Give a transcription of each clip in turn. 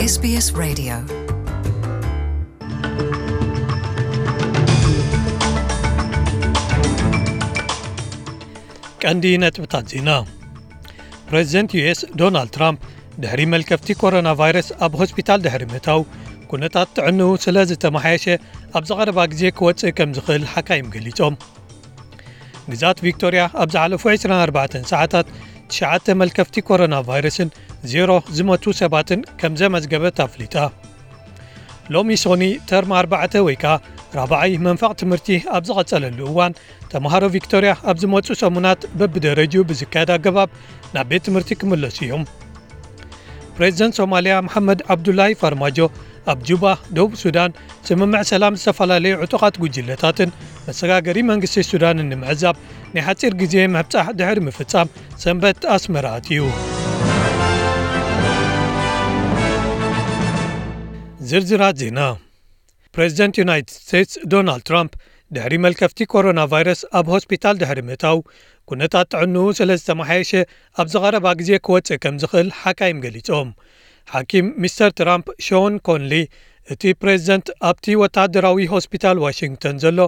SBS Radio. ቀንዲ ነጥብታት ዜና። ፕሬዚደንት ዩ ኤስ ዶናልድ ትራምፕ ድሕሪ መልከፍቲ ኮሮና ቫይረስ ኣብ ሆስፒታል ድሕሪ ምእታው፣ ኩነታት ጥዕንኡ ስለ ዝተመሓየሸ፣ ኣብ ዝቐረባ ግዜ ክወጽእ ከም ዝኽእል ሓካይም ገሊጾም። ግዝኣት ቪክቶርያ ኣብ ዝሓለፉ ዕስራን ኣርባዕተን ሰዓታት ትሽዓተ መልከፍቲ ኮሮና ቫይረስን ዜሮ ዝሞቱ ሰባትን ከም ዘመዝገበት ኣፍሊጣ። ሎሚ ሶኒ፣ ተርም ኣርባዕተ ወይ ከኣ ራብዓይ መንፈቕ ትምህርቲ ኣብ ዝቐጸለሉ እዋን፣ ተምሃሮ ቪክቶርያ ኣብ ዝመጹ ሰሙናት በብደረጅኡ ብዝካየድ ኣገባብ ናብ ቤት ትምህርቲ ክምለሱ እዮም። ፕሬዚደንት ሶማልያ መሓመድ ዓብዱላሂ ፋርማጆ ኣብ ጁባ፣ ደቡብ ሱዳን፣ ስምምዕ ሰላም ዝተፈላለዩ ዕጡቓት ጉጅለታትን መሰጋገሪ መንግስቲ ሱዳንን ንምዕዛብ ናይ ሓጺር ግዜ ምብጻሕ ድሕሪ ምፍጻም፣ ሰንበት ኣስመራ ኣትዩ። ዝርዝራት ዜና። ፕሬዚደንት ዩናይትድ ስቴትስ ዶናልድ ትራምፕ ድሕሪ መልከፍቲ ኮሮና ቫይረስ ኣብ ሆስፒታል ድሕሪ ምእታው፣ ኩነታት ጥዕንኡ ስለ ዝተመሓየሸ፣ ኣብ ዝቐረባ ግዜ ክወጽእ ከም ዝኽእል ሓካይም ገሊጾም። ሓኪም ሚስተር ትራምፕ ሾን ኮንሊ፣ እቲ ፕሬዚደንት ኣብቲ ወተሃደራዊ ሆስፒታል ዋሽንግተን ዘሎ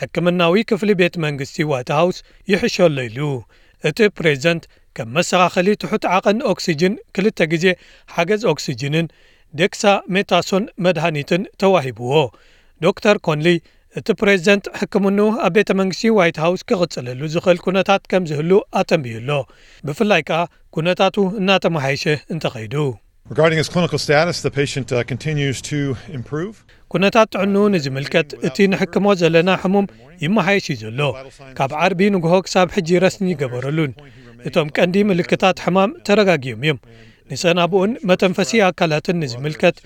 ሕክምናዊ ክፍሊ ቤት መንግስቲ ዋይት ሃውስ ይሕሸሎ ኢሉ። እቲ ፕሬዚደንት ከም መሰኻኸሊ ትሑት ዓቐን ኦክሲጅን፣ ክልተ ግዜ ሓገዝ ኦክሲጅንን ዴክሳሜታሶን መድሃኒትን ተዋሂብዎ። ዶክተር ኮንሊ፣ እቲ ፕሬዚደንት ሕክምንኡ ኣብ ቤተ መንግስቲ ዋይት ሃውስ ክቕጽለሉ ዝኽእል ኩነታት ከም ዝህሉ ኣተንብዩ ኣሎ። ብፍላይ ከኣ ኩነታቱ እናተመሓየሸ እንተኸይዱ። Regarding his clinical status, the patient, uh, continues to improve. ኩነታት ጥዕንኡ ንዝምልከት፣ እቲ ንሕክሞ ዘለና ሕሙም ይመሓየሽ እዩ ዘሎ። ካብ ዓርቢ ንግሆ ክሳብ ሕጂ ረስኒ ይገበረሉን። እቶም ቀንዲ ምልክታት ሕማም ተረጋጊዮም እዮም። ንሰናብኡን መተንፈሲ ኣካላትን ንዝምልከት፣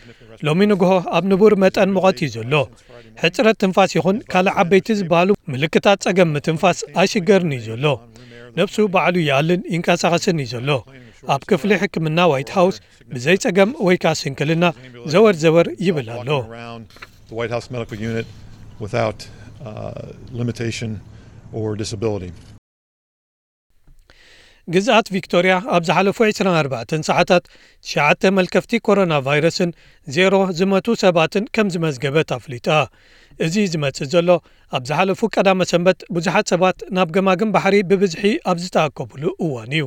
ሎሚ ንግሆ ኣብ ንቡር መጠን ሙቐት እዩ ዘሎ። ሕጽረት ትንፋስ ይኹን ካልእ ዓበይቲ ዝበሃሉ ምልክታት ጸገም ምትንፋስ ኣይሽገርን እዩ ዘሎ። ነብሱ ባዕሉ ይኣልን ይንቀሳቐስን እዩ ዘሎ። ኣብ ክፍሊ ሕክምና ዋይት ሃውስ ብዘይ ጸገም ወይ ከኣ ስንክልና ዘወር ዘወር ይብል ኣሎ። The White House Medical Unit without, uh, limitation or disability. ግዝኣት ቪክቶርያ ኣብ ዝሓለፉ ዕስራን ኣርባዕተን ሰዓታት ትሽዓተ መልከፍቲ ኮሮና ቫይረስን ዜሮ ዝመቱ ሰባትን ከም ዝመዝገበት ኣፍሊጣ። እዚ ዝመጽእ ዘሎ፣ ኣብ ዝሓለፉ ቀዳመ ሰንበት ብዙሓት ሰባት ናብ ገማግም ባሕሪ ብብዝሒ ኣብ ዝተኣከብሉ እዋን እዩ።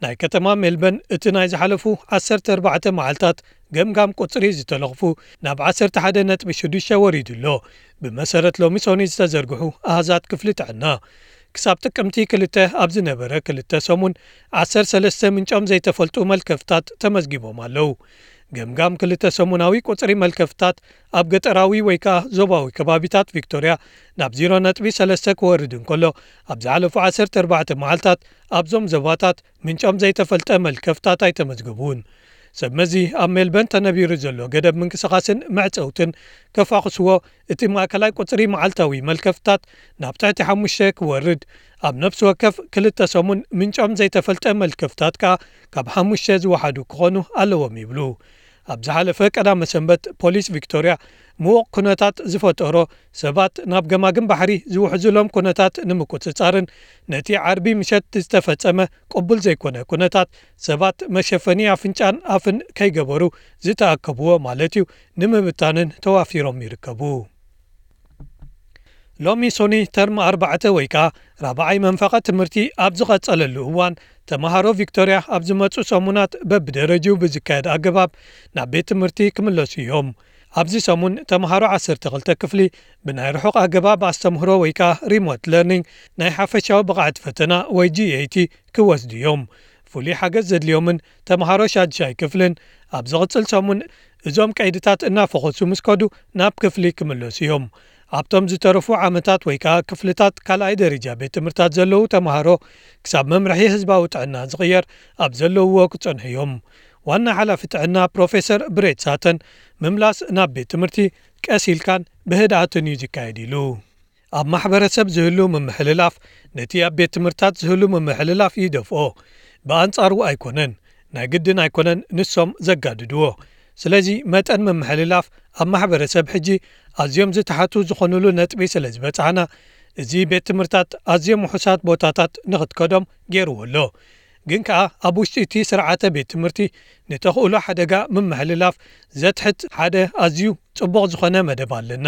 ናይ ከተማ ሜልበርን እቲ ናይ ዝሓለፉ ዓሰርተ ኣርባዕተ መዓልታት ገምጋም ቁጽሪ ዝተለኽፉ ናብ ዓሰርተ ሓደ ነጥቢ ሽዱሽተ ወሪዱ ኣሎ፣ ብመሰረት ሎሚ ሶኒ ዝተዘርግሑ ኣሃዛት ክፍሊ ጥዕና። ክሳብ ጥቅምቲ ክልተ ኣብ ዝነበረ ክልተ ሰሙን፣ ዓሰርተ ሰለስተ ምንጮም ዘይተፈልጡ መልከፍታት ተመዝጊቦም ኣለዉ። ገምጋም ክልተ ሰሙናዊ ቁጽሪ መልከፍታት ኣብ ገጠራዊ ወይ ከኣ ዞባዊ ከባቢታት ቪክቶርያ ናብ ዜሮ ነጥቢ ሰለስተ ክወርድ እንከሎ፣ ኣብ ዝሓለፉ ዓሰርተ ኣርባዕተ መዓልታት ኣብዞም ዞባታት ምንጮም ዘይተፈልጠ መልከፍታት ኣይተመዝገቡን። ሰብ መዚ ኣብ ሜልበርን ተነቢሩ ዘሎ ገደብ ምንቅስቓስን መዕጸውትን ከፋኹስዎ፣ እቲ ማእከላይ ቁጽሪ መዓልታዊ መልከፍታት ናብ ትሕቲ ሓሙሽተ ክወርድ፣ ኣብ ነፍሲ ወከፍ ክልተ ሰሙን ምንጮም ዘይተፈልጠ መልከፍታት ከኣ ካብ ሓሙሽተ ዝወሓዱ ክኾኑ ኣለዎም ይብሉ። ኣብ ዝሓለፈ ቀዳመ ሰንበት፣ ፖሊስ ቪክቶርያ ምዉቕ ኩነታት ዝፈጠሮ፣ ሰባት ናብ ገማግም ባሕሪ ዝውሕዙሎም ኩነታት ንምቁጽጻርን ነቲ ዓርቢ ምሸት ዝተፈጸመ ቅቡል ዘይኮነ ኩነታት፣ ሰባት መሸፈኒ ኣፍንጫን ኣፍን ከይገበሩ ዝተኣከብዎ ማለት እዩ፣ ንምብታንን ተዋፊሮም ይርከቡ። ሎሚ ሶኒ፣ ተርም ኣርባዕተ ወይ ከኣ ራብዓይ መንፈቐ ትምህርቲ ኣብ ዝቐጸለሉ እዋን፣ ተመሃሮ ቪክቶርያ ኣብ ዝመጹ ሰሙናት በብደረጅኡ ብዝካየድ ኣገባብ ናብ ቤት ትምህርቲ ክምለሱ እዮም። ኣብዚ ሰሙን፣ ተመሃሮ ዓሰርተ ክልተ ክፍሊ ብናይ ርሑቕ ኣገባብ ኣስተምህሮ ወይ ከኣ ሪሞት ለርኒንግ ናይ ሓፈሻዊ ብቕዓት ፈተና ወይ ጂ ኤ ቲ ክወስዱ እዮም። ፍሉይ ሓገዝ ዘድልዮምን ተመሃሮ ሻድሻይ ክፍልን ኣብ ዝቕጽል ሰሙን እዞም ቀይድታት እናፈኾሱ ምስ ከዱ ናብ ክፍሊ ክምለሱ እዮም። ኣብቶም ዝተረፉ ዓመታት ወይ ከኣ ክፍልታት ካልኣይ ደረጃ ቤት ትምህርታት ዘለዉ ተመሃሮ ክሳብ መምርሒ ህዝባዊ ጥዕና ዝቕየር ኣብ ዘለውዎ ክጸንሑ እዮም። ዋና ሓላፊ ጥዕና ፕሮፌሰር ብሬት ሳተን፣ ምምላስ ናብ ቤት ትምህርቲ ቀስ ኢልካን ብህድኣትን እዩ ዝካየድ ኢሉ። ኣብ ማሕበረሰብ ዝህሉ ምምሕልላፍ ነቲ ኣብ ቤት ትምህርታት ዝህሉ ምምሕልላፍ ይደፍኦ። ብኣንጻሩ ኣይኮነን፣ ናይ ግድን ኣይኮነን ንሶም ዘጋድድዎ። ስለዚ መጠን ምምሕልላፍ ኣብ ማሕበረሰብ ሕጂ ኣዝዮም ዝተሓቱ ዝኾኑሉ ነጥቢ ስለ ዝበጻሕና፣ እዚ ቤት ትምህርታት ኣዝዮም ውሑሳት ቦታታት ንኽትከዶም ገይርዎ ኣሎ። ግን ከኣ ኣብ ውሽጢ እቲ ስርዓተ ቤት ትምህርቲ ንተኽእሎ ሓደጋ ምምሕልላፍ ዘትሕት ሓደ ኣዝዩ ጽቡቕ ዝኾነ መደብ ኣለና።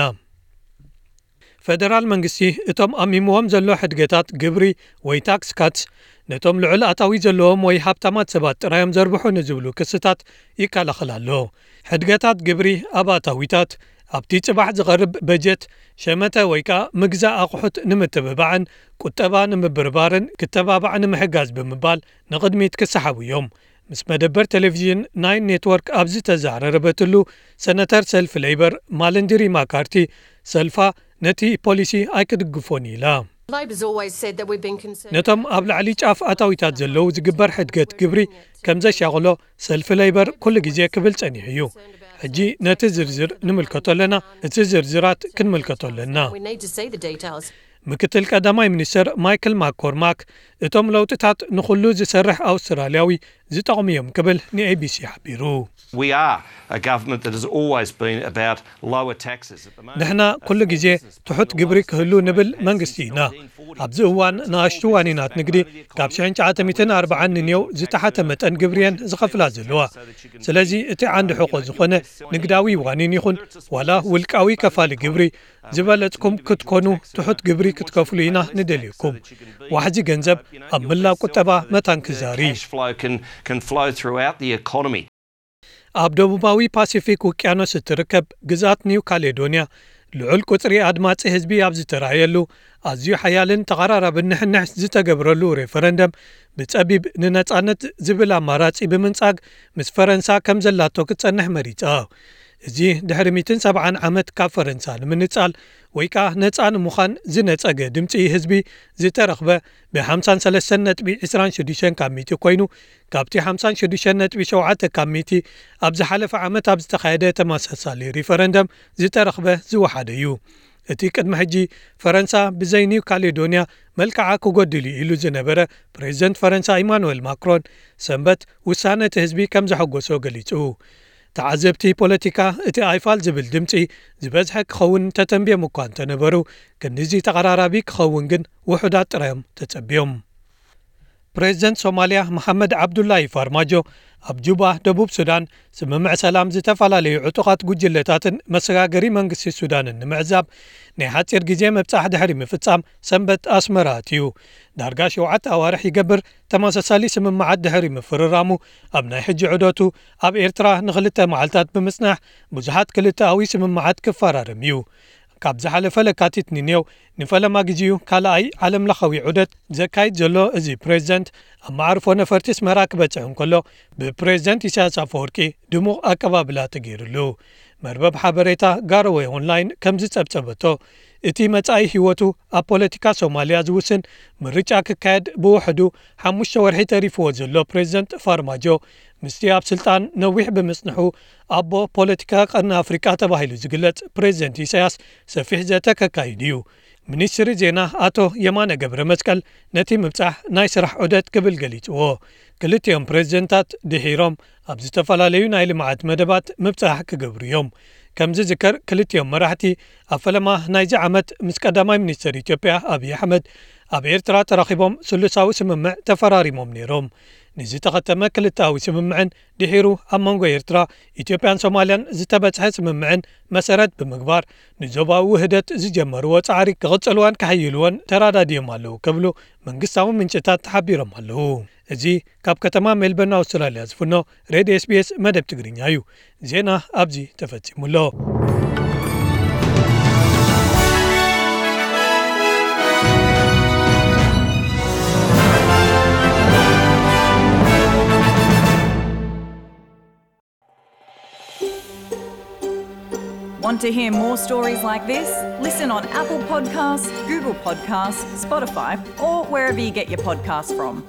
ፈደራል መንግስቲ እቶም ኣሚምዎም ዘሎ ሕድገታት ግብሪ ወይ ታክስ ካትስ ነቶም ልዑል ኣታዊ ዘለዎም ወይ ሃብታማት ሰባት ጥራዮም ዘርብሑ ንዝብሉ ክስታት ይከላኸል ኣሎ። ሕድገታት ግብሪ ኣብ ኣታዊታት ኣብቲ ጽባሕ ዝቐርብ በጀት ሸመተ ወይ ከኣ ምግዛእ ኣቑሑት ንምትብባዕን ቁጠባ ንምብርባርን ክተባባዕ ንምሕጋዝ ብምባል ንቕድሚት ክሰሓቡ እዮም። ምስ መደበር ቴሌቪዥን ናይን ኔትወርክ ኣብ ዝተዛረረበትሉ ሰነተር ሰልፊ ሌይበር ማለንድሪ ማካርቲ ሰልፋ ነቲ ፖሊሲ ኣይክድግፎን ኢላ። Labor's always said that we've been concerned. ነቶም ኣብ ላዕሊ ጫፍ ኣታዊታት ዘለዉ ዝግበር ሕድገት ግብሪ ከም ዘሻቕሎ ሰልፊ ሌይበር ኩሉ ግዜ ክብል ጸኒሑ እዩ። ሕጂ ነቲ ዝርዝር ንምልከቶ ኣለና። እቲ ዝርዝራት ክንምልከቶ ኣለና። We need to see the details. ምክትል ቀዳማይ ሚኒስትር ማይክል ማኮርማክ እቶም ለውጥታት ንኹሉ ዝሰርሕ ኣውስትራልያዊ ዝጠቕሙ እዮም ክብል ንኤቢሲ ሓቢሩ። We are a government that has always been about lower taxes. At the moment, ንሕና ኩሉ ግዜ ትሑት ግብሪ ክህሉ ንብል መንግስቲ ኢና። ኣብዚ እዋን ንኣሽቱ ዋኒናት ንግዲ ካብ ሽሕን ትሽዓተ ሚእትን ኣርብዓን ንኔው ዝተሓተ መጠን ግብሪ እየን ዝኸፍላ ዘለዋ። ስለዚ እቲ ዓንዲ ሕቖ ዝኾነ ንግዳዊ ዋኒን ይኹን ዋላ ውልቃዊ ከፋሊ ግብሪ ዝበለጽኩም ክትኮኑ ትሑት ግብሪ ክትከፍሉ ኢና ንደልየኩም። ዋሕዚ ገንዘብ ኣብ ምላእ ቁጠባ መታን ክዛሪ። Cash flow can, can flow throughout the economy. ኣብ ደቡባዊ ፓሲፊክ ውቅያኖስ እትርከብ ግዛት ኒው ካሌዶንያ ልዑል ቁጽሪ ኣድማጺ ህዝቢ ኣብ ዝተራእየሉ ኣዝዩ ሓያልን ተቐራራብን ንሕንሕ ዝተገብረሉ ሬፈረንደም ብጸቢብ ንነጻነት ዝብል ኣማራጺ ብምንጻግ ምስ ፈረንሳ ከም ዘላቶ ክትጸንሕ መሪጻ። እዚ ድሕሪ ሚእትን ሰብዓን ዓመት ካብ ፈረንሳ ንምንጻል ወይ ከኣ ነጻ ንምዃን ዝነጸገ ድምጺ ህዝቢ ዝተረኽበ ብ ሓምሳን ሰለስተን ነጥቢ ዕስራን ሽዱሽተን ካብ ሚእቲ ኮይኑ ካብቲ ሓምሳን ሽዱሽተን ነጥቢ ሸውዓተ ካብ ሚእቲ ኣብ ዝሓለፈ ዓመት ኣብ ዝተኻየደ ተመሳሳሊ ሪፈረንደም ዝተረኽበ ዝወሓደ እዩ። እቲ ቅድሚ ሕጂ ፈረንሳ ብዘይ ኒው ካሌዶንያ መልክዓ ክጎድል እዩ ኢሉ ዝነበረ ፕሬዚደንት ፈረንሳ ኢማኑኤል ማክሮን ሰንበት ውሳነ እቲ ህዝቢ ከም ዘሐጎሶ ገሊጹ። ተዓዘብቲ ፖለቲካ እቲ ኣይፋል ዝብል ድምጺ ዝበዝሐ ክኸውን ተተንብዮም እኳ እንተነበሩ ክንድዚ ተቐራራቢ ክኸውን ግን ውሑዳት ጥራዮም ተጸብዮም። ፕሬዚደንት ሶማልያ መሓመድ ዓብዱላሂ ፋርማጆ ኣብ ጁባ ደቡብ ሱዳን ስምምዕ ሰላም ዝተፈላለዩ ዕጡቓት ጉጅለታትን መሰጋገሪ መንግስቲ ሱዳንን ንምዕዛብ ናይ ሓፂር ግዜ ምብፃሕ ድሕሪ ምፍፃም ሰንበት ኣስመራ ኣትዩ። ዳርጋ ሸውዓተ ኣዋርሕ ይገብር ተመሳሳሊ ስምምዓት ድሕሪ ምፍርራሙ ኣብ ናይ ሕጂ ዑደቱ ኣብ ኤርትራ ንክልተ መዓልታት ብምፅናሕ ብዙሓት ክልተኣዊ ስምምዓት ክፈራረም እዩ። ካብ ዝሓለፈ ለካቲት ንኔው ንፈለማ ግዜኡ ካልኣይ ዓለምለኻዊ ዑደት ዘካይድ ዘሎ እዚ ፕሬዚደንት ኣብ መዓርፎ ነፈርቲ ኣስመራ ክበፅሕ እንከሎ ብፕሬዚደንት ኢሳያስ ኣፈወርቂ ድሙቕ ኣቀባብላ ተገይሩሉ። መርበብ ሓበሬታ ጋሮወ ኦንላይን ከም ዝፀብፀበቶ እቲ መጻኢ ህይወቱ ኣብ ፖለቲካ ሶማልያ ዝውስን ምርጫ ክካየድ ብውሕዱ ሓሙሽተ ወርሒ ተሪፍዎ ዘሎ ፕሬዚደንት ፋርማጆ ምስቲ ኣብ ስልጣን ነዊሕ ብምጽንሑ ኣቦ ፖለቲካ ቀርኒ ኣፍሪቃ ተባሂሉ ዝግለጽ ፕሬዚደንት ኢሳያስ ሰፊሕ ዘተ ከካይድ እዩ። ሚኒስትሪ ዜና ኣቶ የማነ ገብረ መስቀል ነቲ ምብጻሕ ናይ ስራሕ ዑደት ክብል ገሊጽዎ። ክልቲኦም ፕሬዚደንታት ድሒሮም ኣብ ዝተፈላለዩ ናይ ልምዓት መደባት ምብጻሕ ክገብሩ እዮም። ከም ዝዝከር ክልቲኦም መራሕቲ ኣብ ፈለማ ናይዚ ዓመት ምስ ቀዳማይ ሚኒስትር ኢትዮጵያ ኣብይ ኣሕመድ ኣብ ኤርትራ ተራኺቦም ስሉሳዊ ስምምዕ ተፈራሪሞም ነይሮም። ንዝተኸተመ ክልተኣዊ ስምምዕን ድሒሩ ኣብ መንጎ ኤርትራ፣ ኢትዮጵያን ሶማልያን ዝተበጽሐ ስምምዕን መሰረት ብምግባር ንዞባዊ ውህደት ዝጀመርዎ ጻዕሪ ክቕጽልዎን ከሕይልዎን ተራዳዲዮም ኣለዉ ክብሉ መንግስታዊ ምንጭታት ሓቢሮም ኣለዉ። እዚ ካብ ከተማ ሜልበርን ኣውስትራልያ ዝፍኖ ሬድዮ ኤስቢኤስ መደብ ትግርኛ እዩ። ዜና ኣብዚ ተፈጺሙ ኣሎ። Want to hear more stories like this? Listen on Apple Podcasts, Google Podcasts, Spotify, or wherever you get your podcasts from.